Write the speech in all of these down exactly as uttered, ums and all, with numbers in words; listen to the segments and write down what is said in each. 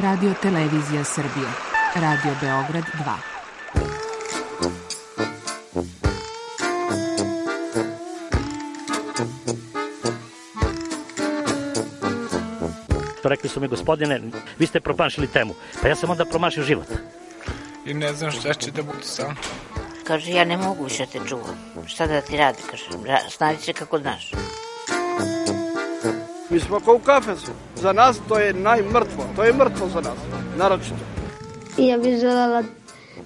Radio Televizija Srbije, Radio Beograd dva. Rekli su mi, gospodine, vi ste promašili temu. Pa ja sam onda promašio život. I ne znam šta će da bude sam. Kaže, ja ne mogu više te čuvam. Šta da ti radi, kaže, snađi se kako znaš. Mi smo kao u kafesu. Za nas to je najmrtvo. To je mrtvo za nas, naročito. I ja bih želela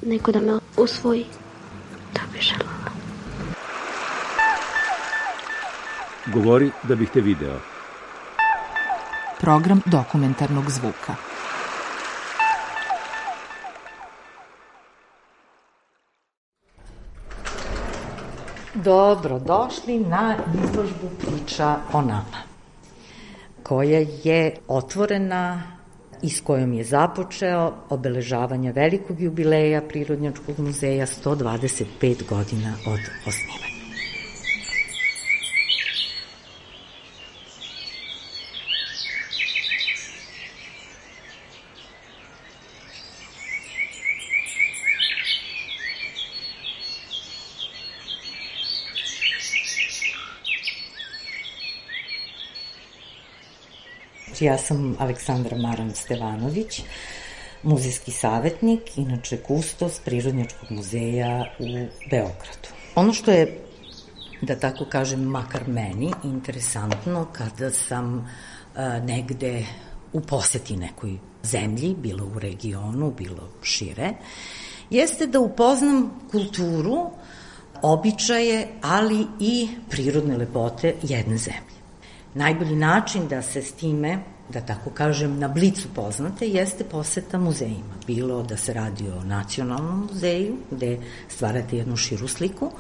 neko da me usvoji. To bih želela. Govori da bih te video. Program dokumentarnog zvuka. Dobro došli na izložbu Priča o nama, koja je otvorena i s kojom je započeo obeležavanje velikog jubileja Prirodnjačkog muzeja, sto dvadeset pet godina od osnivanja. Ja sam Aleksandra Maran-Stevanović, muzejski savjetnik, inače kustos Prirodnjačkog muzeja u Beogradu. Ono što je, da tako kažem, makar meni interesantno kada sam a, negde u poseti nekoj zemlji, bilo u regionu, bilo šire, jeste da upoznam kulturu, običaje, ali i prirodne lepote jedne zemlje. Najbolji način da se s time, da tako kažem, na blicu poznate, jeste poseta muzejima. Bilo da se radi o Nacionalnom muzeju, gde stvarate jednu širu sliku,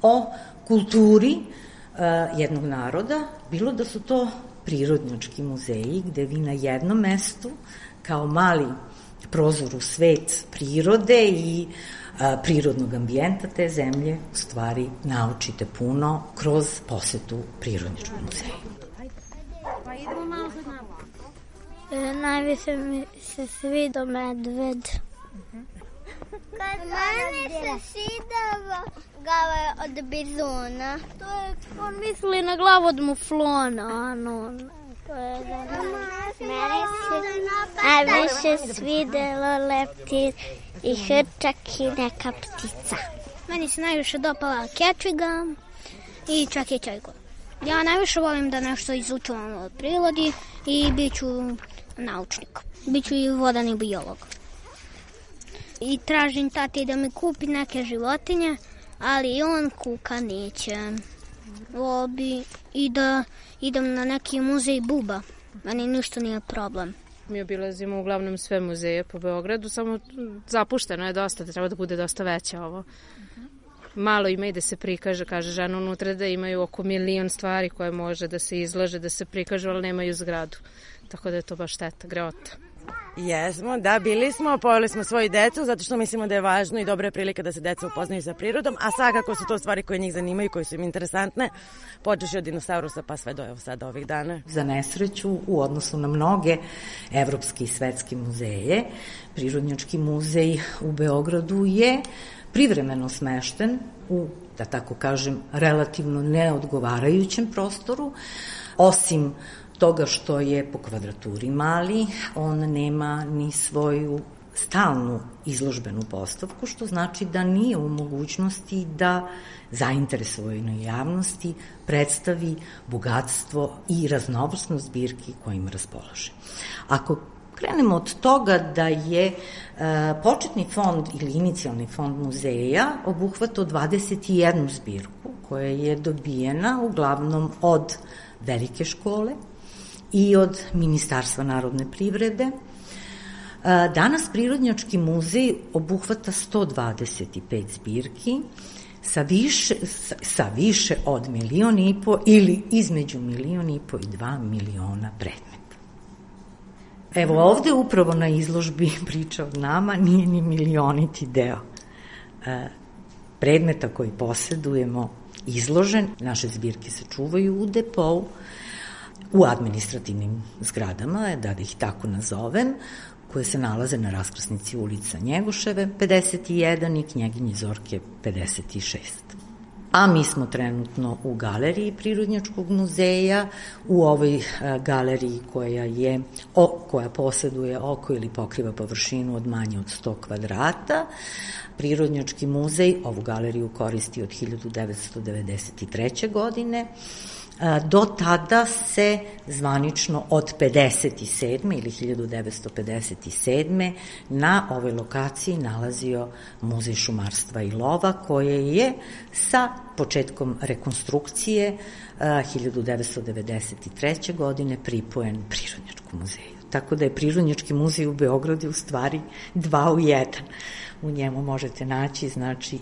o kulturi uh, jednog naroda, bilo da su to prirodnjački muzeji, gde vi na jednom mestu, kao mali prozor u svet prirode i a, prirodnog ambijenta te zemlje, u stvari naučite puno kroz posetu Prirodnjačkog muzeja. E, najviše mi se sviđa medved. Mene se svidava glava od bizona. To je, on misli na glavu od muflona, ano. To je da... Mene se najviše svidelo leptir i hrčak i neka ptica. Meni se najviše dopala kečviga i čak i čajko. Ja najviše volim da nešto izučavam o prirodi i bit ću naučnik. Biću i vodani biolog. I tražim tati da mi kupi neke životinje, ali on kuka neće. Vobi i da idem na neki muzej buba. Meni ništa nije problem. Mi obilazimo uglavnom sve muzeje po Beogradu, samo zapušteno je dosta, da treba da bude dosta veće ovo. Malo ima i da se prikaže, kaže žena unutra da imaju oko milion stvari koje može da se izlože, da se prikažu, ali nemaju zgradu. Tako da je to baš šteta, greota. Jesmo, da, bili smo, poveli smo svoju decu, zato što mislimo da je važno i dobra je prilika da se deca upoznaju sa prirodom, a svakako su to stvari koje njih zanimaju, koje su im interesantne, počeš od dinosaurusa pa sve do evo sada ovih dana. Za nesreću, u odnosu na mnoge evropski i svetski muzeje, Prirodnjački muzej u Beogradu je privremeno smešten u, da tako kažem, relativno neodgovarajućem prostoru, osim toga što je po kvadraturi mali, on nema ni svoju stalnu izložbenu postavku, što znači da nije u mogućnosti da zainteresovanoj javnosti predstavi bogatstvo i raznovrsnost zbirki kojim raspolaže. Ako krenemo od toga da je e, početni fond ili inicijalni fond muzeja obuhvatao dvadeset jednu zbirku koja je dobijena uglavnom od velike škole i od Ministarstva narodne privrede. Danas Prirodnjački muzej obuhvata sto dvadeset pet zbirki sa više, sa više od milion i po ili između milion i po i dva miliona predmeta. Evo ovde upravo na izložbi Priča od nama nije ni milioniti deo predmeta koji posedujemo izložen. Naše zbirke se čuvaju u depou, u administrativnim zgradama, da ih tako nazovem, koje se nalaze na raskrsnici ulica Njegoševe pedeset jedan i Knjeginje Zorke pedeset šest. A mi smo trenutno u galeriji Prirodnjačkog muzeja, u ovoj galeriji koja je, o, koja poseduje oko ili pokriva površinu od manje od sto kvadrata. Prirodnjački muzej ovu galeriju koristi od hiljadu devetsto devedeset treće. godine. Do tada se zvanično od pedeset sedme ili hiljadu devetsto pedeset sedme. na ovoj lokaciji nalazio Muzej šumarstva i lova, koje je sa početkom rekonstrukcije hiljadu devetsto devedeset treće. godine pripojen Prirodnjačkom muzeju. Tako da je Prirodnjački muzej u Beogradu u stvari dva u jedan. U njemu možete naći, znači,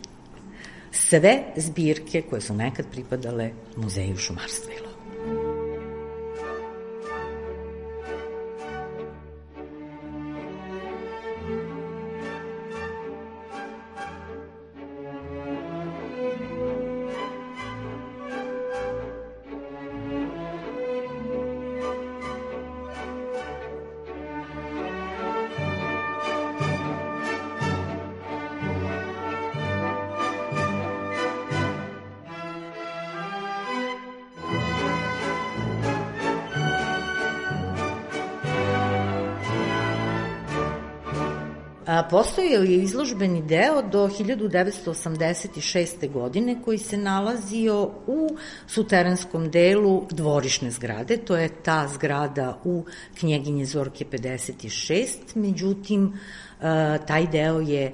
sve zbirke koje su nekad pripadale Muzeju šumarstva i lova. Postojao je izložbeni deo do hiljadu devetsto osamdeset šeste. godine koji se nalazio u suterenskom delu dvorišne zgrade, to je ta zgrada u Knjeginje Zorke pedeset šest, međutim taj deo je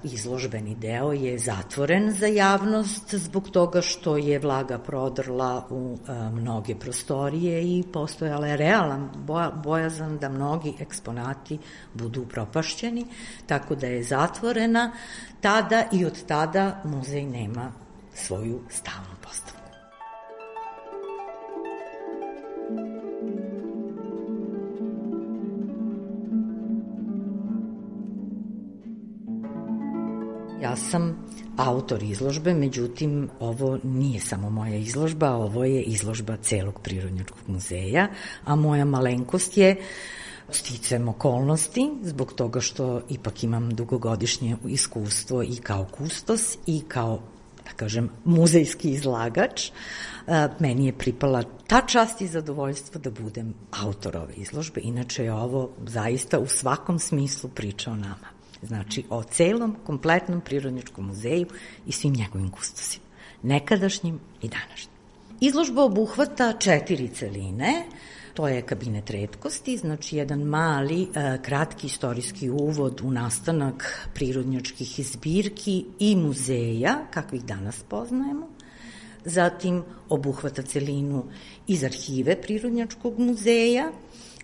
izložbeni deo je zatvoren za javnost zbog toga što je vlaga prodrla u mnoge prostorije i postojala je realan bojazan da mnogi eksponati budu upropašćeni, tako da je zatvorena tada i od tada muzej nema svoju stalnu postavu. Ja sam autor izložbe, međutim, ovo nije samo moja izložba, ovo je izložba celog Prirodnjačkog muzeja, a moja malenkost je sticajem okolnosti, zbog toga što ipak imam dugogodišnje iskustvo i kao kustos i kao, da kažem, muzejski izlagač. Meni je pripala ta čast i zadovoljstvo da budem autor ove izložbe, inače je ovo zaista u svakom smislu priča o nama. Znači, o celom, kompletnom Prirodnjačkom muzeju i svim njegovim kustosima, nekadašnjim i današnjim. Izložba obuhvata četiri celine, to je kabinet retkosti, znači jedan mali, kratki istorijski uvod u nastanak prirodnjačkih zbirki i muzeja, kakvih danas poznajemo. Zatim obuhvata celinu iz arhive Prirodnjačkog muzeja,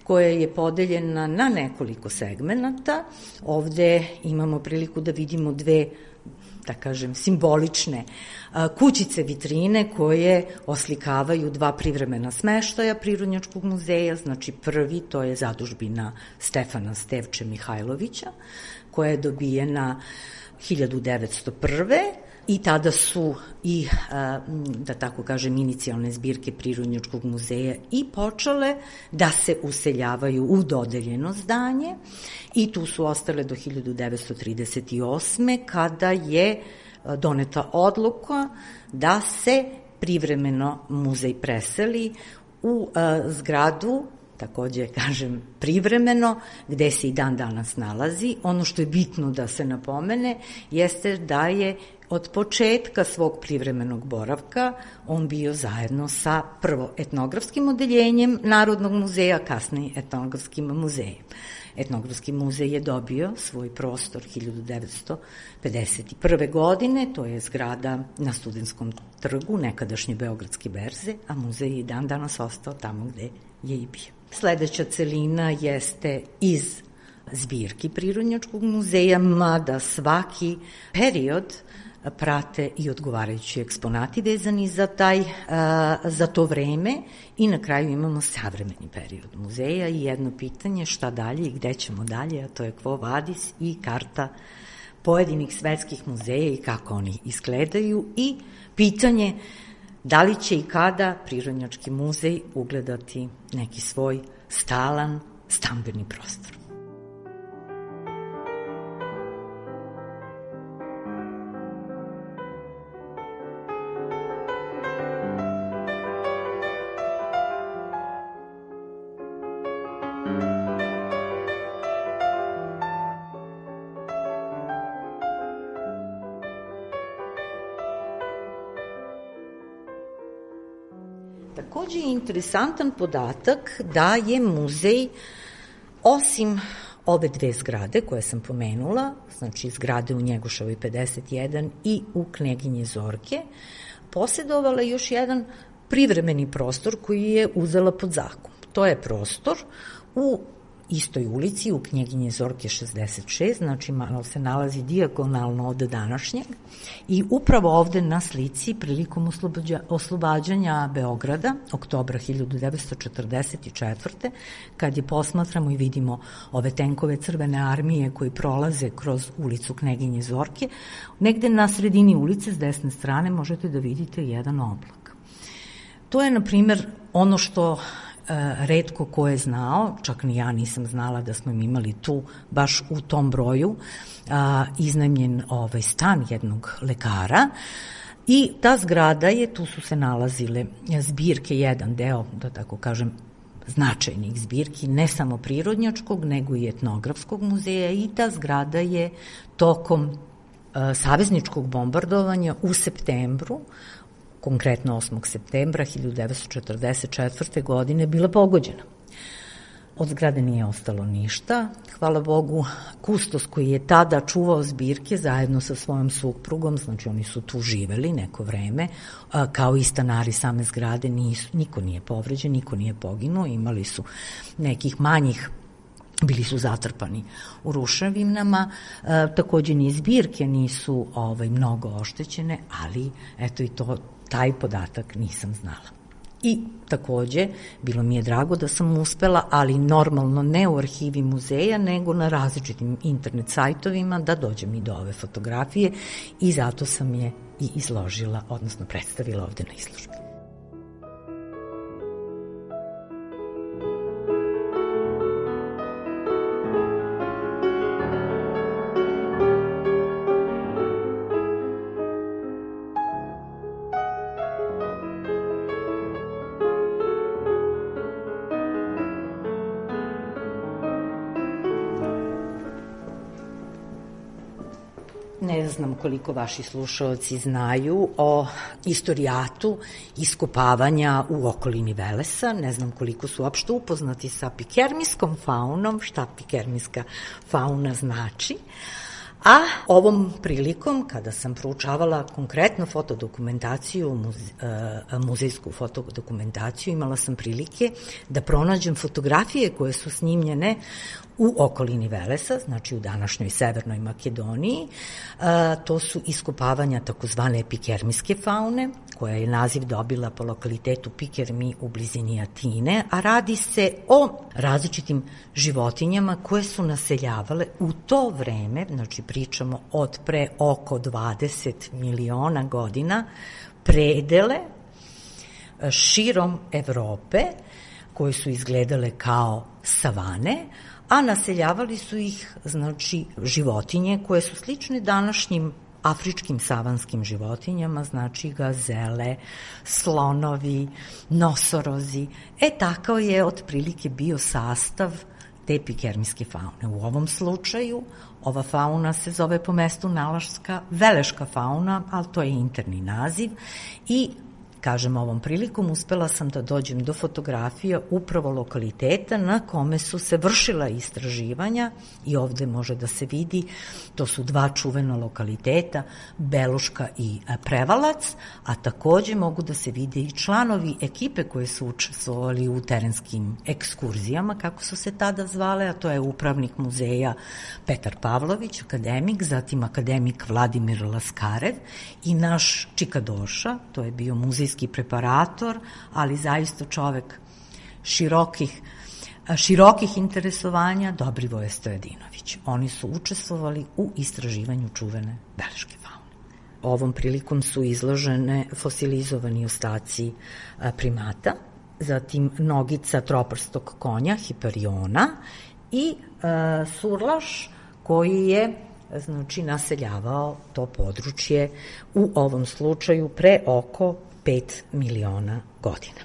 koja je podeljena na nekoliko segmenata. Ovde imamo priliku da vidimo dve, da kažem, simbolične kućice vitrine koje oslikavaju dva privremena smeštaja Prirodnjačkog muzeja. Znači prvi, to je zadužbina Stefana Stevče Mihajlovića, koja je dobijena hiljadu devetsto prve. I tada su i, da tako kažem, inicijalne zbirke Prirodnjačkog muzeja i počele da se useljavaju u dodeljeno zdanje i tu su ostale do hiljadu devetsto trideset osme. kada je doneta odluka da se privremeno muzej preseli u zgradu, takođe kažem privremeno, gde se i dan danas nalazi. Ono što je bitno da se napomene jeste da je od početka svog privremenog boravka on bio zajedno sa prvo etnografskim odeljenjem Narodnog muzeja, kasnije etnografskim muzejem. Etnografski muzej je dobio svoj prostor hiljadu devetsto pedeset prve. godine, to je zgrada na Studentskom trgu, nekadašnje Beogradske berze, a muzej je i dan danas ostao tamo gde je i bio. Sledeća celina jeste iz zbirki Prirodnjačkog muzeja, mada svaki period prate i odgovarajući eksponati vezani za, taj, za to vreme i na kraju imamo savremeni period muzeja i jedno pitanje šta dalje i gde ćemo dalje, a to je Quo Vadis i karta pojedinih svetskih muzeja i kako oni izgledaju i pitanje da li će i kada Prirodnjački muzej ugledati neki svoj stalan stambeni prostor. takođe je interesantan podatak da je muzej, osim ove dve zgrade koje sam pomenula, znači zgrade u Njegoševoj pedeset jedan i u Kneginje Zorke, posjedovala još jedan privremeni prostor koji je uzela pod zakup. To je prostor u istoj ulici, u Knjeginje Zorke šezdeset šest, znači malo se nalazi dijagonalno od današnjeg, i upravo ovde na slici prilikom oslobađanja Beograda, oktobra hiljadu devetsto četrdeset četvrte. kad je posmatramo i vidimo ove tenkove Crvene armije koji prolaze kroz ulicu Kneginje Zorke, negde na sredini ulice s desne strane možete da vidite jedan oblak. To je, na primer, ono što retko ko je znao, čak ni ja nisam znala da smo imali tu, baš u tom broju, iznajmljen ovaj stan jednog lekara, i ta zgrada je, tu su se nalazile zbirke, jedan deo, da tako kažem, značajnih zbirki, ne samo prirodnjačkog, nego i etnografskog muzeja, i ta zgrada je tokom savezničkog bombardovanja u septembru, konkretno osmog septembra hiljadu devetsto četrdeset četvrte. godine, bila pogođena. Od zgrade nije ostalo ništa. Hvala Bogu, kustos koji je tada čuvao zbirke zajedno sa svojom suprugom, znači oni su tu živeli neko vreme, kao i stanari same zgrade, nisu, niko nije povređen, niko nije poginuo, imali su nekih manjih, bili su zatrpani u ruševinama, e, takođe ni zbirke nisu ovaj, mnogo oštećene, ali eto i to, taj podatak nisam znala. I takođe, bilo mi je drago da sam uspela, ali normalno ne u arhivi muzeja, nego na različitim internet sajtovima, da dođem i do ove fotografije, i zato sam je i izložila, odnosno predstavila ovde na izložbi. Ne znam koliko vaši slušalci znaju o istorijatu iskopavanja u okolini Velesa, ne znam koliko su uopšte upoznati sa pikermijskom faunom, šta pikermijska fauna znači, a ovom prilikom, kada sam proučavala konkretno fotodokumentaciju, muze, muzejsku fotodokumentaciju, imala sam prilike da pronađem fotografije koje su snimljene u okolini Velesa, znači u današnjoj Severnoj Makedoniji. To su iskopavanja takozvane pikermijske faune, koja je naziv dobila po lokalitetu Pikermi u blizini Atine, a radi se o različitim životinjama koje su naseljavale u to vreme, znači pričamo od pre oko dvadeset miliona godina, predele širom Evrope, koje su izgledale kao savane, a naseljavali su ih, znači, životinje koje su slične današnjim afričkim savanskim životinjama, znači gazele, slonovi, nosorozi. E, takav je otprilike bio sastav te pikermijske faune. U ovom slučaju ova fauna se zove po mestu nalaska veleška fauna, ali to je interni naziv, i kažem, ovom prilikom uspela sam da dođem do fotografija upravo lokaliteta na kome su se vršila istraživanja, i ovde može da se vidi, to su dva čuvena lokaliteta, Beluška i Prevalac, a takođe mogu da se vide i članovi ekipe koje su učestvovali u terenskim ekskurzijama, kako su se tada zvale, a to je upravnik muzeja Petar Pavlović, akademik, zatim akademik Vladimir Laskarev i naš čikadoša, to je bio muzejski preparator, ali zaista čovek širokih, širokih interesovanja, Dobrivoje Stojadinović. Oni su učestvovali u istraživanju čuvene beleške faune. Ovom prilikom su izložene fosilizovani ostaci primata, zatim nogica troprstog konja, Hiperiona, i e, surlaš koji je, znači, naseljavao to područje u ovom slučaju pre oko pet miliona godina.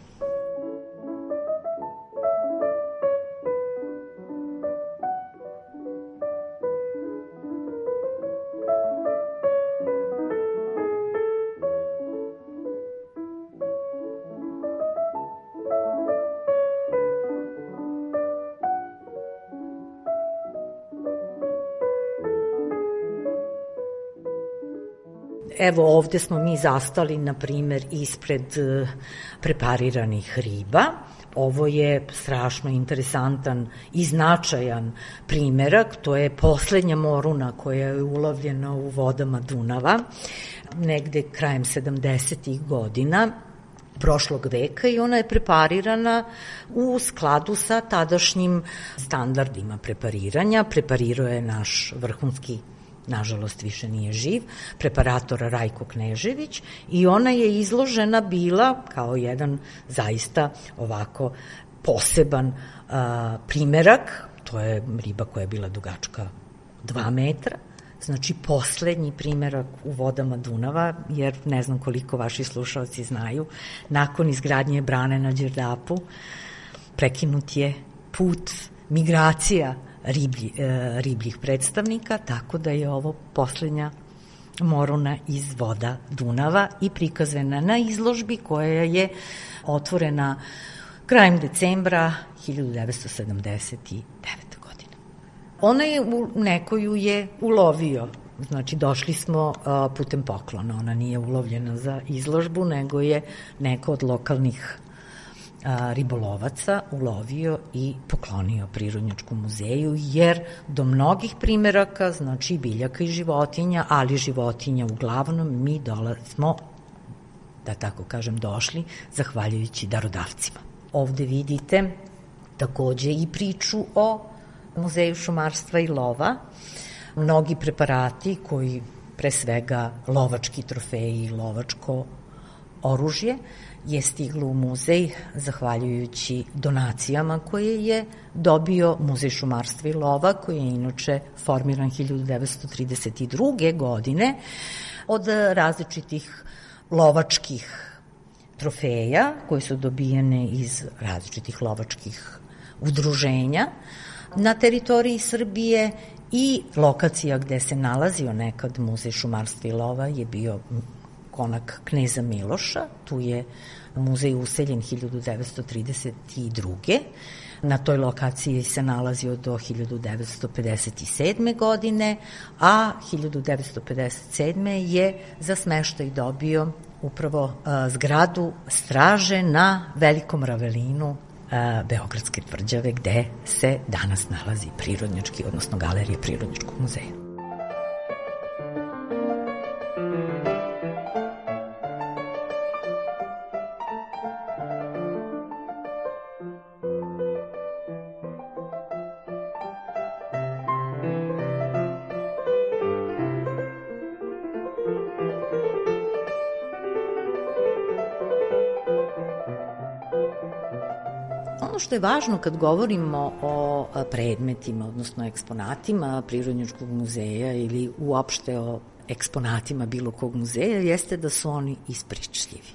evo ovde smo mi zastali, na primer, ispred prepariranih riba. Ovo je strašno interesantan i značajan primerak, to je poslednja moruna koja je ulovljena u vodama Dunava, negde krajem sedamdesetih godina prošlog veka i ona je preparirana u skladu sa tadašnjim standardima prepariranja. Preparirao je naš vrhunski, nažalost više nije živ, preparator Rajko Knežević i ona je izložena bila kao jedan zaista ovako poseban a, primerak, to je riba koja je bila dugačka dva metra, znači poslednji primerak u vodama Dunava, jer ne znam koliko vaši slušalci znaju, nakon izgradnje brane na Đerdapu prekinut je put migracija riblji, e, ribljih predstavnika, tako da je ovo poslednja moruna iz voda Dunava i prikazana na izložbi koja je otvorena krajem decembra hiljadu devetsto sedamdeset devete. godine. Ona je u nekoju je ulovio, znači došli smo a, putem poklona, ona nije ulovljena za izložbu, nego je neko od lokalnih a, ribolovaca ulovio i poklonio Prirodnjačkom muzeju, jer do mnogih primeraka, znači biljaka i životinja, ali životinja uglavnom mi dolazimo, da tako kažem, došli zahvaljujući darodavcima. Ovde vidite takođe i priču o Muzeju šumarstva i lova. Mnogi preparati koji, pre svega lovački trofeji i lovačko oružje, je stiglo u muzej zahvaljujući donacijama koje je dobio Muzej šumarstva i lova, koji je inače formiran hiljadu devetsto trideset druge. godine od različitih lovačkih trofeja koje su dobijene iz različitih lovačkih udruženja na teritoriji Srbije i lokacija gde se nalazio nekad Muzej šumarstva i lova je bio konak Kneza Miloša, tu je muzej useljen hiljadu devetsto trideset druge. Na toj lokaciji se nalazio do hiljadu devetsto pedeset sedme. godine, a hiljadu devetsto pedeset sedme. je za smeštaj dobio upravo a, zgradu straže na Velikom Ravelinu a, Beogradske tvrđave, gde se danas nalazi Prirodnjački, odnosno Galerija Prirodnjačkog muzeja. Ono što je važno kad govorimo o predmetima, odnosno eksponatima Prirodnjačkog muzeja ili uopšte o eksponatima bilo kog muzeja, jeste da su oni ispričljivi.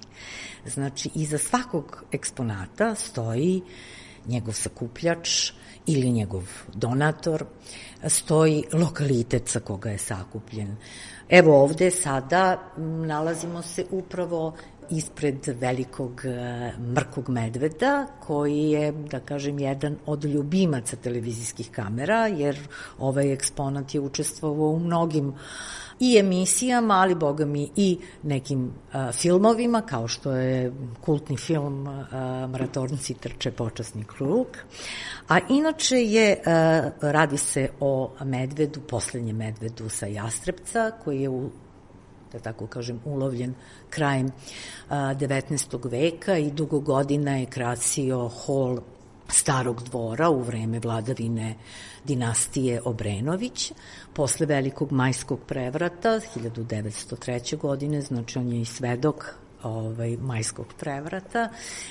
Znači, iza svakog eksponata stoji njegov sakupljač ili njegov donator, stoji lokalitet sa koga je sakupljen. Evo ovde sada nalazimo se upravo ispred velikog mrkog medveda, koji je, da kažem, jedan od ljubimaca televizijskih kamera, jer ovaj eksponat je učestvovao u mnogim i emisijama, ali boga mi i nekim a, filmovima, kao što je kultni film a, Mratornci trče počasni krug. A inače je, a, radi se o medvedu, poslednjem medvedu sa Jastrebca, koji je u da tako kažem, ulovljen krajem devetnaestog. veka i dugo godina je krasio hol Starog dvora u vreme vladavine dinastije Obrenović. Posle Velikog majskog prevrata, hiljadu devetsto treće. godine, znači on je i svedok ovaj, majskog prevrata,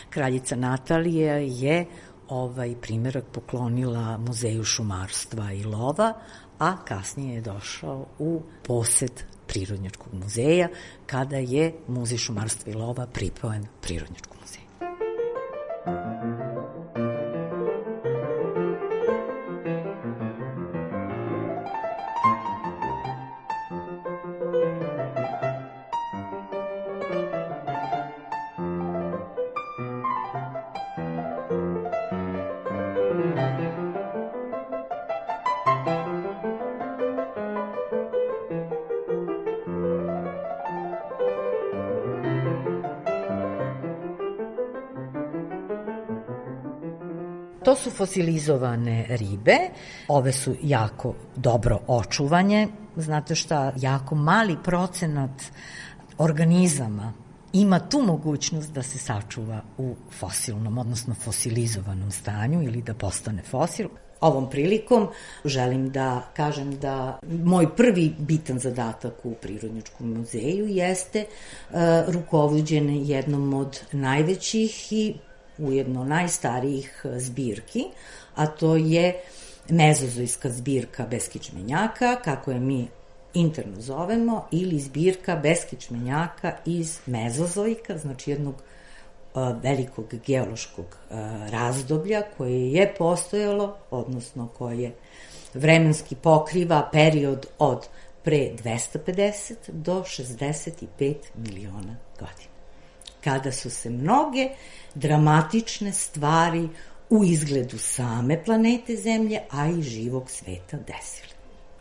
kraljica Natalija je ovaj primerak poklonila Muzeju šumarstva i lova, a kasnije je došao u posed Prirodnjačkog muzeja, kada je Muzej šumarstva i lova pripojen Prirodnjačkom muzeju. To su fosilizovane ribe, ove su jako dobro očuvanje. Znate šta, jako mali procenat organizama ima tu mogućnost da se sačuva u fosilnom, odnosno fosilizovanom stanju ili da postane fosil. Ovom prilikom želim da kažem da moj prvi bitan zadatak u Prirodnjačkom muzeju jeste uh, rukovođenje jednom od najvećih i ujedno najstarijih zbirki, a to je mezozojska zbirka beskičmenjaka, kako je mi interno zovemo, ili zbirka beskičmenjaka iz mezozojka, znači jednog velikog geološkog razdoblja koje je postojalo, odnosno koje vremenski pokriva period od pre dvesta pedeset do šezdeset pet miliona godina, kada su se mnoge dramatične stvari u izgledu same planete Zemlje, a i živog sveta desile.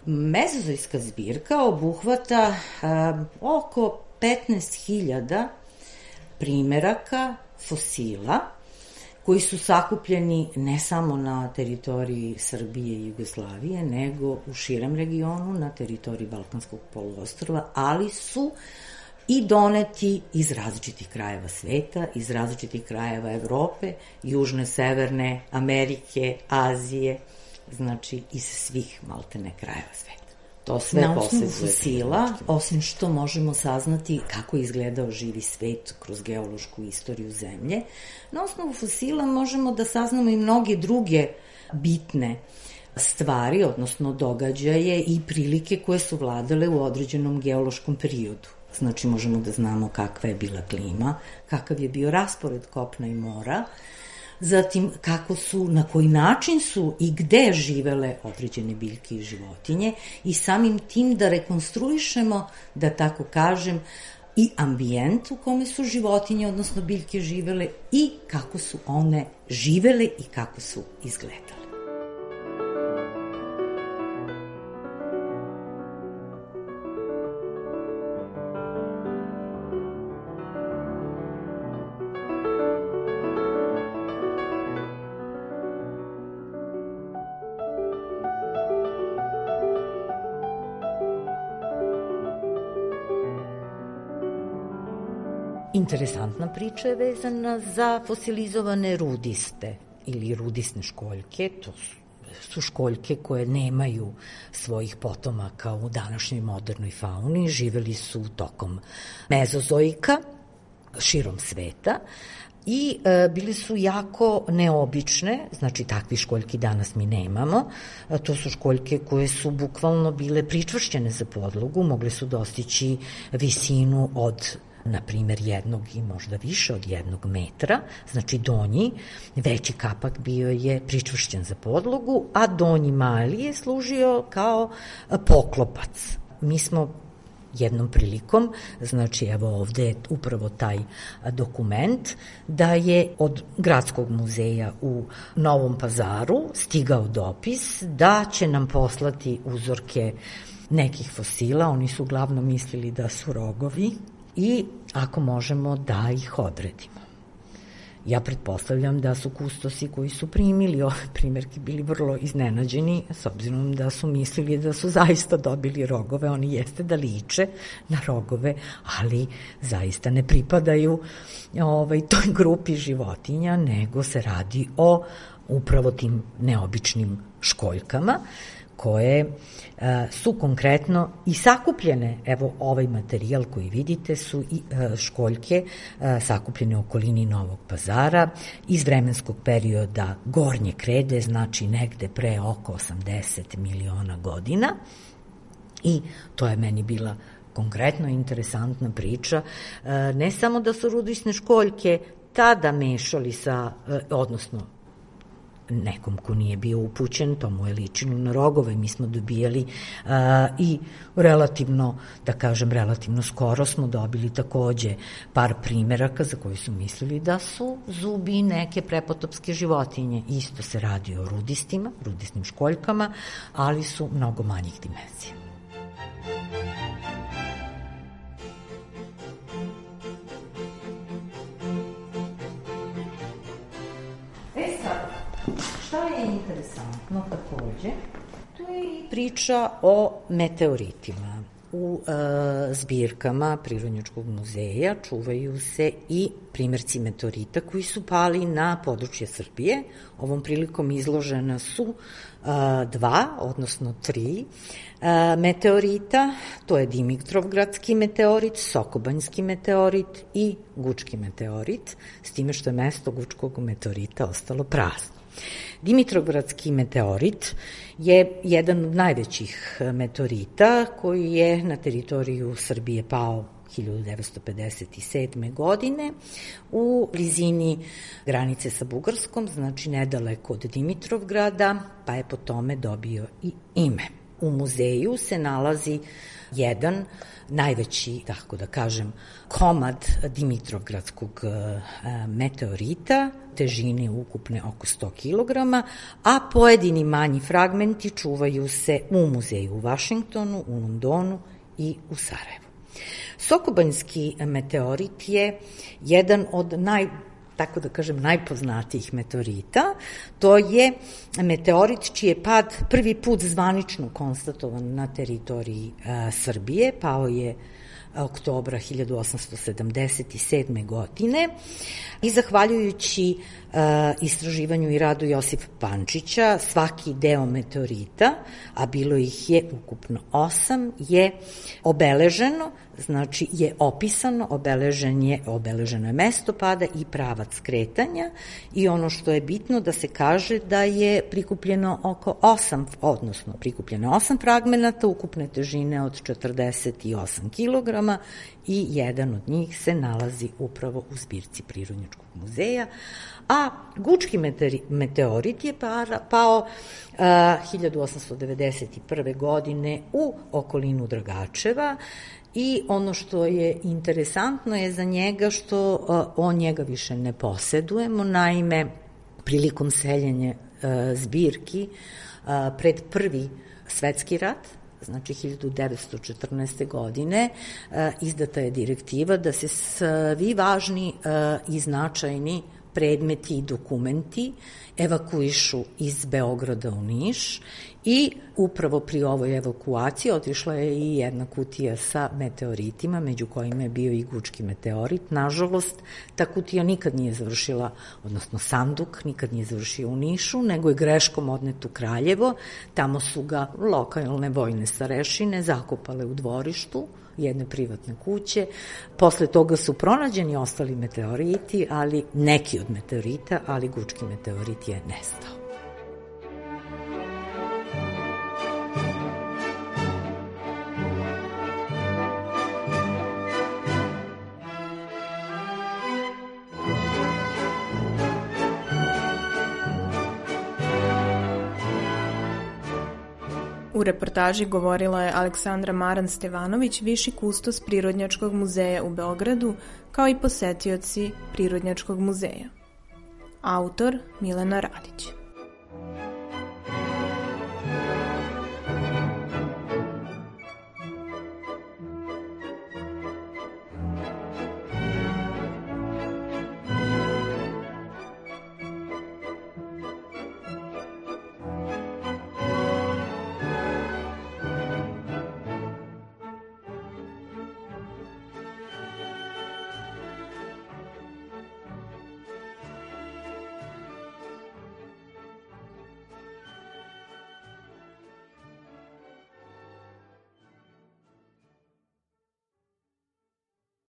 Mezozojska zbirka obuhvata a, oko petnaest hiljada primeraka fosila koji su sakupljeni ne samo na teritoriji Srbije i Jugoslavije, nego u širem regionu, na teritoriji Balkanskog poluostrva, ali su i doneti iz različitih krajeva sveta, iz različitih krajeva Evrope, Južne, Severne Amerike, Azije, znači iz svih maltene krajeva sveta. To sve na osnovu fosila, osim što možemo saznati kako je izgledao živi svet kroz geološku istoriju Zemlje, na osnovu fosila možemo da saznamo i mnoge druge bitne stvari, odnosno događaje i prilike koje su vladale u određenom geološkom periodu. Znači možemo da znamo kakva je bila klima, kakav je bio raspored kopna i mora, zatim kako su, na koji način su i gde živele određene biljke i životinje i samim tim da rekonstruišemo, da tako kažem, i ambijent u kome su životinje, odnosno biljke živele i kako su one živele i kako su izgledale. Interesantna priča je vezana za fosilizovane rudiste ili rudisne školjke. To su, su školjke koje nemaju svojih potomaka u današnjoj modernoj fauni. Živeli su tokom mezozojka širom sveta i e, bili su jako neobične, znači takvi školjki danas mi nemamo. E, to su školjke koje su bukvalno bile pričvršćene za podlogu, mogle su dostići visinu od na primjer jednog i možda više od jednog metra, znači donji, veći kapak bio je pričvršćen za podlogu, a donji mali je služio kao poklopac. Mi smo jednom prilikom, znači evo ovde je upravo taj dokument, da je od Gradskog muzeja u Novom Pazaru stigao dopis da će nam poslati uzorke nekih fosila, oni su uglavnom mislili da su rogovi, i ako možemo da ih odredimo. Ja pretpostavljam da su kustosi koji su primili ove primjerke bili vrlo iznenađeni, s obzirom da su mislili da su zaista dobili rogove. Oni jeste da liče na rogove, ali zaista ne pripadaju ovaj, toj grupi životinja, nego se radi o upravo tim neobičnim školjkama, koje a, su konkretno i sakupljene, evo ovaj materijal koji vidite su i a, školjke a, sakupljene u okolini Novog Pazara iz vremenskog perioda Gornje Krede, znači negde pre oko osamdeset miliona godina, i to je meni bila konkretno interesantna priča. A, ne samo da su rudisne školjke tada mešali sa, a, odnosno nekom ko nije bio upućen, to mu je ličilo na rogove. Mi smo dobijali uh, i relativno, da kažem, relativno skoro smo dobili takođe par primeraka za koji su mislili da su zubi neke prepotopske životinje. Isto se radi o rudistima, rudisnim školjkama, ali su mnogo manjih dimenzija. E sad, Šta je interesantno takođe? To je i priča o meteoritima. U e, zbirkama Prirodnjačkog muzeja čuvaju se i primjerci meteorita koji su pali na područje Srbije. Ovom prilikom izložena su e, dva, odnosno tri e, meteorita. To je Dimitrovgradski meteorit, Sokobanjski meteorit i Gučki meteorit, s time što je mesto Gučkog meteorita ostalo prazno. Dimitrovgradski meteorit je jedan od najvećih meteorita koji je na teritoriju Srbije pao hiljadu devetsto pedeset sedme. godine u blizini granice sa Bugarskom, znači nedaleko od Dimitrovgrada, pa je po tome dobio i ime. U muzeju se nalazi jedan najveći, tako da kažem, komad Dimitrovgradskog meteorita, težine ukupne oko sto kilograma, a pojedini manji fragmenti čuvaju se u muzeju u Vašingtonu, u Londonu i u Sarajevu. Sokobanjski meteorit je jedan od naj tako da kažem, najpoznatijih meteorita. To je meteorit čiji je pad prvi put zvanično konstatovan na teritoriji a, Srbije, pao je oktobra hiljadu osamsto sedamdeset sedme. godine i zahvaljujući uh, istraživanju i radu Josipa Pančića, svaki deo meteorita, a bilo ih je ukupno osam, je obeleženo, znači je opisano, obeležen je, obeleženo je mesto pada i pravac kretanja i ono što je bitno da se kaže da je prikupljeno oko osam, odnosno prikupljeno osam fragmenata ukupne težine od četrdeset osam kilograma i jedan od njih se nalazi upravo u zbirci Prirodnjačkog muzeja, a Gučki meteorit je pao uh, hiljadu osamsto devedeset prve. godine u okolinu Dragačeva i ono što je interesantno je za njega što uh, on njega više ne posedujemo, naime prilikom seljenja uh, zbirki uh, pred prvi svetski rat, znači hiljadu devetsto četrnaeste. godine, izdata je direktiva da se svi važni i značajni predmeti i dokumenti evakuišu iz Beograda u Niš i upravo pri ovoj evakuaciji otišla je i jedna kutija sa meteoritima, među kojima je bio i Gučki meteorit. Nažalost, ta kutija nikad nije završila, odnosno sanduk nikad nije završio u Nišu, nego je greškom odnet u Kraljevo. Tamo su ga lokalne vojne starešine zakopale u dvorištu jedne privatne kuće. Posle toga su pronađeni ostali meteoriti, ali neki od meteorita, ali Gučki meteorit je nestao. U reportaži govorila je Aleksandra Maran-Stevanović, viši kustos Prirodnjačkog muzeja u Beogradu, kao i posetioci Prirodnjačkog muzeja. Autor Milena Radić.